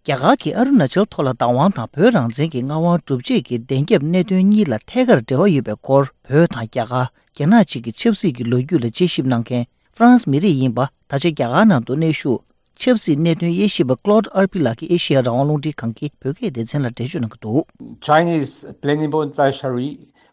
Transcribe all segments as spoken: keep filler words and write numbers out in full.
རྒྱ་གར་གྱིས་ཨ་རུ་ན་ཅལ་ཐོག་ལ་བདག་དབང་དང་བོད་རང་བཙན་གྱི་མངའ་དབང་སྒྲུབ་བྱེད་ཀྱི་བདེན་རྒྱབ་གནད་དོན་གཉིས་ལ་ཐད་ཀར་འབྲེལ་བ་ཡོད་པའི་སྐོར། བོད་དང་རྒྱ་གར། རྒྱ་ནག་བཅས་ཀྱི་ཆབ་སྲིད་ཀྱི་ལོ་རྒྱུས་ལ་དཔྱད་ཞིབ་གནང་མཁན་ཧྥ་རན་སི་མི་རིགས་ཡིན་པ། ད་ཆ་རྒྱ་གར་ནང་དུ་གནས་བཞུགས། ཆབ་སྲིད་གནད་དོན་དབྱེ་ཞིབ་པ་Claude Arpi ལགས་ཀྱིས་ཨེ་ཤེ་ཡ་རང་དབང་རླུང་འཕྲིན་ཁང་གི་བོད་སྐད་སྡེ་ཚན་ལ་འགྲེལ་བརྗོད་གནང་གི་འདུག། Chinese plenipotentiary,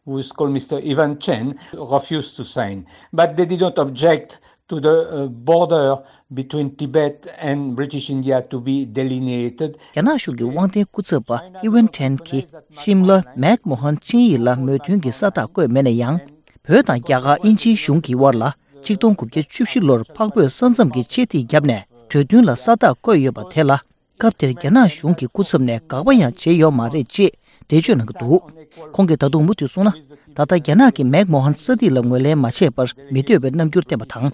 who is called Mister Ivan Chen, refused to sign, but they did not object to the uh, border between Tibet and British India to be delineated. རྒྱ་ནག་གཞུང་གི་དབང་ལྡན་སྐུ་ཚབ་པ་ཨི་ཝན་ཁྲེན་གྱིས་ཤིམ་ལ་མེག་མོ་ཧན་ཆིངས་ཡིག་ལ་མོས་མཐུན་གྱི་ས་རྟགས་བཀོད་མེད་ན་ཡང་། བོད་དང་རྒྱ་གར་དབྱིན་ཇིའི་གཞུང་གི་དབར་ལ་ཆིག་སྟོང་དགུ་བརྒྱ་བཅུ་བཞི་ལོར་འཕགས་བོད་ས་མཚམས་ཀྱི་ཆད་ཐིག་བརྒྱབ་ནས་གྲོས་མཐུན་ལ་ས་རྟགས་བཀོད་ཡོད་པ་དེ་ལ། སྐབས་དེར་རྒྱ་ནག་གཞུང་གི་སྐུ་ཚབ་ནས་དགག་པ་ཡང་བྱས་ཡོད་མ་རེད་ཅེས་འགྲེལ་བརྗོད་གནང་གི་འདུག། ཁོང་གིས་ད་དུང་མུ་མཐུད་གསུངས་ན། ད་ལྟ་རྒྱ་ནག་གིས་མེག་མོ་ཧན་ས་ཐིག་ལ་ངོས་ལེན་མ་བྱས་པར་མི་འདོད་པའི་རྣམ་འགྱུར་བསྟན་པ་དང་།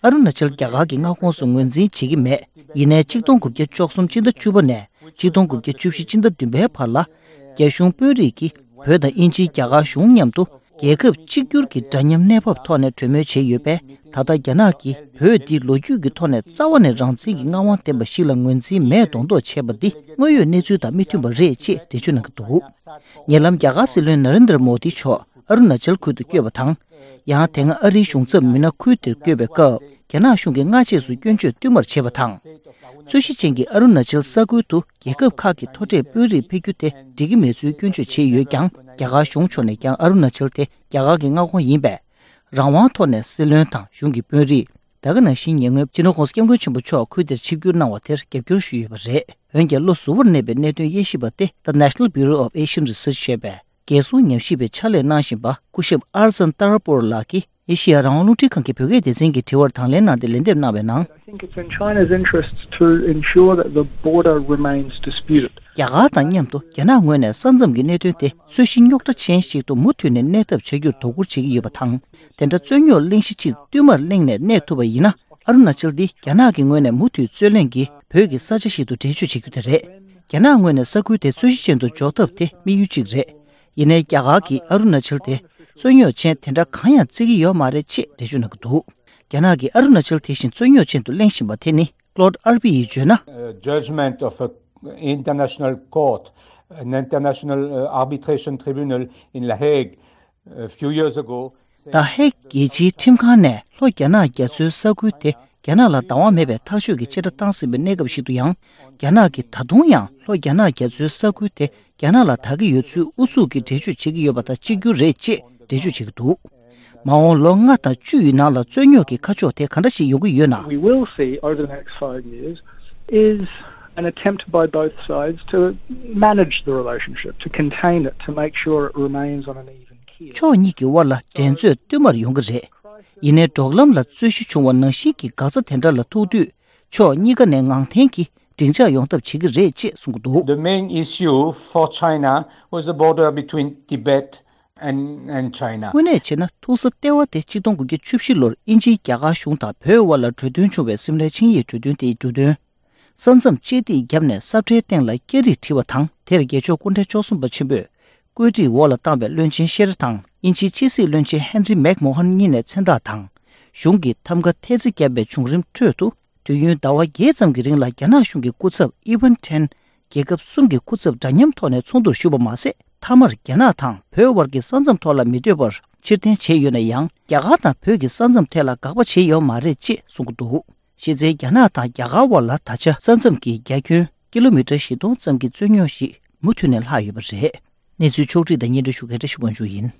ཨ་རུ་ན་ཅལ་རྒྱ་གར་གྱི་མངའ་ཁོངས་སུ་ངོས་འཛིན་བྱེད་ཀྱི་མེད། ཡིན་ནའི་ཆིག་སྟོང་དགུ་བརྒྱ་བཅུ་གསུམ་སྤྱི་ཟླ་བཅུ་པ་ནས་ཆིག་སྟོང་དགུ་བརྒྱ་བཅུ་བཞི་སྤྱི་ཟླ་བདུན་པའི་བར་ལ། རྒྱ་གཞུང་དཔོན་རིགས་ཀྱིས་བོད་དང་དབྱིན་ཇི་རྒྱ་གར་གཞུང་མཉམ་དུ། རྒྱལ་ཁབ་གཅིག་གྱུར་གྱི་འདྲ་མཉམ་གནས་བབ་ཐོག་ནས་གྲོས་མོལ་བྱས་ཡོད་པས། ད་ལྟ་རྒྱ་ནག་གིས་བོད་འདི་ལོ་རྒྱུས་ཀྱི་ཐོག་ནས་རྩ་བ་ནས་རང་བཙན་གྱི་མངའ་དབང་ལྡན་པ་ཞིག་ལ་ངོས་འཛིན་མེད་མདོག་མདོག་བྱས་པ་འདི་དངོས་ཡོད་གནས་ཚུལ་དང་མི་མཐུན་པ་རེད་ཅེས་འགྲེལ་བརྗོད་གནང་གི་འདུག། ཉེ་ལམ་རྒྱ་གར་སྲིད་བློན་ན་རེན་དྲ་མོ་དི་མཆོག་ཨ་རུ་ན་ཅལ་ཁུལ་དུ་བསྐྱོད་པ་དང་། ཡང་དེ་སྔ་ཨ་རིའི་གཞུང་ཚབ་མི་སྣ་ཁུལ་དེར་བསྐྱོད་པའི་སྐབས། རྒྱ་ནག་གཞུང་གིས་སྔ་རྗེས་སུ་སྐྱོན་བརྗོད་བསྟུད་མར་བྱས་པ་དང་། རྩོད་གཞི་ཅན་གྱི་ཨ་རུ་ན་ཅལ་ས་ཁུལ་དུ་རྒྱལ་ཁབ་ཁག་གི་མཐོ་གྲས་དཔོན་རིགས་ཕེབས་རྒྱུ་དེ་འགྲིག་གི་མེད་ཚུལ་སྐྱོན་བརྗོད་བྱས་ཡོད་ཀྱང་། རྒྱ་གར་གཞུང་ཕྱོགས་ནས་ཀྱང་ཨ་རུ་ན་ཅལ་དེ་རྒྱ་གར་གྱི་མངའ་ཁོངས་ཡིན་པས། རང་དབང་ཐོག་ནས་སྲིད་བློན་དང་གཞུང་གི་དཔོན་རིགས། ད་ག་ནང་བཞིན་ཉེ་སྔོན་སྤྱི་ནོར་༸གོང་ས་༸སྐྱབས་མགོན་ཆེན་པོ་མཆོག་ཁུལ་དེར་ཆིབས་བསྒྱུར་གནང་བ་དེར་རྒྱབ་སྐྱོར་ཞུས་ཡོད་པ་རེད། འོན་ཀྱང་བློ་གཟུ་བོར་གནས་པའི་གནད་དོན་དབྱེ་ཞིབ་པ་སྟེ། The National Bureau of Asian Research ཞེས་པས། རྒྱལ་སྲུང་ཉམས་ཞིབ་པའི་ཕྱག་ལས་གནང་བཞིན་པ་སྐུ་ཞབས་ཨར་ཛན་ཏར་པོར་ལགས་ཀྱིས། ཨེ་ཤེ་ཡ་རང་དབང་རླུང་འཕྲིན་ཁང་གི་བོད་སྐད་སྡེ་ཚན་གྱི་དྲི་བར་དང་ལེན་གནང་སྟེ་ལན་འདེབས་གནང་བའི་ནང་། I think it's in China's interests to ensure that the border remains disputed. རྒྱ་གར་དང་མཉམ་དུ་རྒྱ་ནག་ངོས་ནས་ས་མཚམས་ཀྱི་གནད་དོན་དེ་རྩོད་གཞི་རྙོག་དྲ་ཅན་ཞིག་ཏུ་མུ་མཐུད་ནས་གནས་ཐབས་བྱ་རྒྱུར་དོ་ཁུར་བྱེད་ཀྱི་ཡོད་པ་དང་། དེ་འདྲ་རྩོད་རྙོག་གླེང་གཞི་གཅིག་བསྟུད་མར་གླེང་ནས་གནས་ཐུབ་པ་ཡིན་ན། ཨ་རུ་ན་ཅལ་འདི་རྒྱ་ནག་གི་ངོས་ནས་མུ་མཐུད་རྩོད་གླེང་གིས་བོད་ཀྱི་ས་ཆ་ཞིག་ཏུ་འགྲེལ་བརྗོད་བྱེད་རྒྱུ་དེ་རེད། རྒྱ་ནག་ངོས་ནས་ས་ཁུལ་དེ་རྩོད་གཞི་ཅན་དུ་འཇོག་ཐབས་དེ་དམིགས་ཡུལ་གཅིག་རེད། ཡིན་ནའི་རྒྱ་གར་གྱིས་ཨ་རུ་ན་ཅལ་དེ་རྩོད་རྙོག་ཅན་དེ་འདྲ་གང་ཡང་བརྩི་གི་ཡོད་མ་རེད་ཅེས་འགྲེལ་བརྗོད་གནང་གི་འདུག། རྒྱ་ནག་གིས་ཨ་རུ་ན་ཅལ་དེ་བཞིན་རྩོད་རྙོག་ཅན་དུ་གླེང་བཞིན་པ་དེ་ནི་Claude Arpi ཡིས་བརྗོད་ན། Uh, judgment of a international court, an international uh, arbitration tribunal in La Hague a few years ago. ད་ཧེག་རྒྱལ་སྤྱིའི་ཁྲིམས་ཁང་ནས་ལྷོ་རྒྱ་ནག་རྒྱ་མཚོའི་ས་ཁུལ་དེ་རྒྱ་ནག་ལ་བདག་དབང་མེད་པའི་ཐག་གཅོད་ཀྱི་བཅད་ཁྲ་བཏང་ཟིན་པའི་གནས་སྐབས་ཤིག་ཏུ་ཡང་། རྒྱ་ནག་གིས་ད་དུང་ཡང་ལྷོ་རྒྱ་ནག་རྒྱ་མཚོའི་ས་ཁུལ་དེ་རྒྱ་ནག་ལ་བདག་གི་ཡོད་ཚུལ་ཨུ་ཚུགས་ཀྱིས་འགྲེལ་བརྗོད་བྱེད་ཀྱི་ཡོད་པ་དང་གཅིག་གྱུར་རེད་ཅེས་འགྲེལ་བརྗོད་བྱེད་ཀྱི་འདུག། མ་འོངས་ལོ་ལྔ་དང་བཅུ་ཡི་ནང་ལ་རྩོད་རྙོག་གི་ཁ་ཕྱོགས་དེ་ག་འདྲ་ཞིག་ཡོང་གི་ཡོད་ན། We will see over the next five years is an attempt by both sides to manage the relationship, to contain it, to make sure it remains on an even keel. ཕྱོགས་གཉིས་ཀྱི་དབར་ལ་འགྲན་རྩོད་བསྟུད་མར་ཡོང་གི་རེད། ཡིན་ནའི་འབྲོག་ལམ་ལ་རྩོད་གཞི་བྱུང་བ་ནང་བཞིན་གྱི་འགག་རྩ་དེ་འདྲ་ལ་ཐུག་དུས། ཕྱོགས་གཉིས་ཀ་ནས་ངང་འཐེན་གྱིས་འགྲིག་འཇགས་ཡོང་ཐབས་བྱེད་ཀྱི་རེད་ཅེས་གསུངས་ཀྱི་འདུག། The main issue for China was the border between Tibet and, and China. དངོས་གནས་བྱས་ན་ཐུག་ས་ལྟེ་བ་དེ་ཆིག་སྟོང་དགུ་བརྒྱ་བཅུ་བཞི་ལོར་དབྱིན་ཇིའི་རྒྱ་གར་གཞུང་དང་བོད་དབར་ལ་གྲོས་མཐུན་བྱུང་བའི་སིམ་ལའི་ཆིངས་ཡིག་གྲོས་མཐུན་དེའི་འབྲུ་དོན། ས་མཚམས་བཅད་ཐིག་བརྒྱབ་ནས་ས་ཁྲའི་སྟེང་ལ་སྐྱ་རིས་བྲིས་པ་དང་། དེར་རྒྱལ་མཆོག་སྐུ་ཕྲེང་བཅུ་གསུམ་པ་ཆེན་པོས་བཀོད་སྒྲིག་འོག་ལ་བཏང་བའི་བློན་ཆེན་ཤེ་ར་དང་དབྱིན་ཇིའི་ཕྱི་སྲིད་བློན་ཆེན་ཧན་རི་མེག་མོ་ཧན་གཉིས་ནས་མཚན་རྟགས་དང་། གཞུང་གི་ཐམ་ག་ཐེལ་ཙེ་བརྒྱབ་པའི་བྱུང་རིམ་ཁྲོད་དུ། དུས་ཡུན་ཟླ་བ་བརྒྱད་ཙམ་གྱི་རིང་ལ་རྒྱ་ནག་གཞུང་གི་སྐུ་ཚབ་ཨི་ཝན་ཁྲེན། རྒྱལ་ཁབ་གསུམ་གྱི་སྐུ་ཚབ་འདྲ་མཉམ་ཐོག་ནས་ཚོགས་འདུར་ཞུགས་པ་མ་ཟད། མཐའ་མར་རྒྱ་ནག་དང་བོད་དབར་གྱི་ས་མཚམས་ཐོག་ལ་མི་སྡོད་པར་ཕྱིར་འཐེན་བྱས་ཡོད་ན་ཡང་། རྒྱ་གར་དང་བོད་ཀྱི་ས་མཚམས་ཐད་ལ་དགག་པ་བྱས་ཡོད་མ་རེད་ཅེས་གསུངས་ཀྱི་འདུག། གཞི་རྩའི་རྒྱ་ནག་དང་རྒྱ་གར་དབར་ལ་ད་ཆ་ས་མཚམས་ཀྱི་རྒྱ་ཁྱོན་ཀི་ལོ་མི་ཊར་བཞི་སྟོང་ཙམ་གྱི་རྩོད་རྙོག་ཞིག་མུ་མཐུད་ནས་ལྷག་ཡོད་པ་རེད། གནས་ཚུལ་ཕྱོགས་བསྒྲིགས་དང་སྙན་སྒྲོན་ཞུ་མཁན་བཀྲ་ཤིས་དབང་ཕྱུག་ཡིན།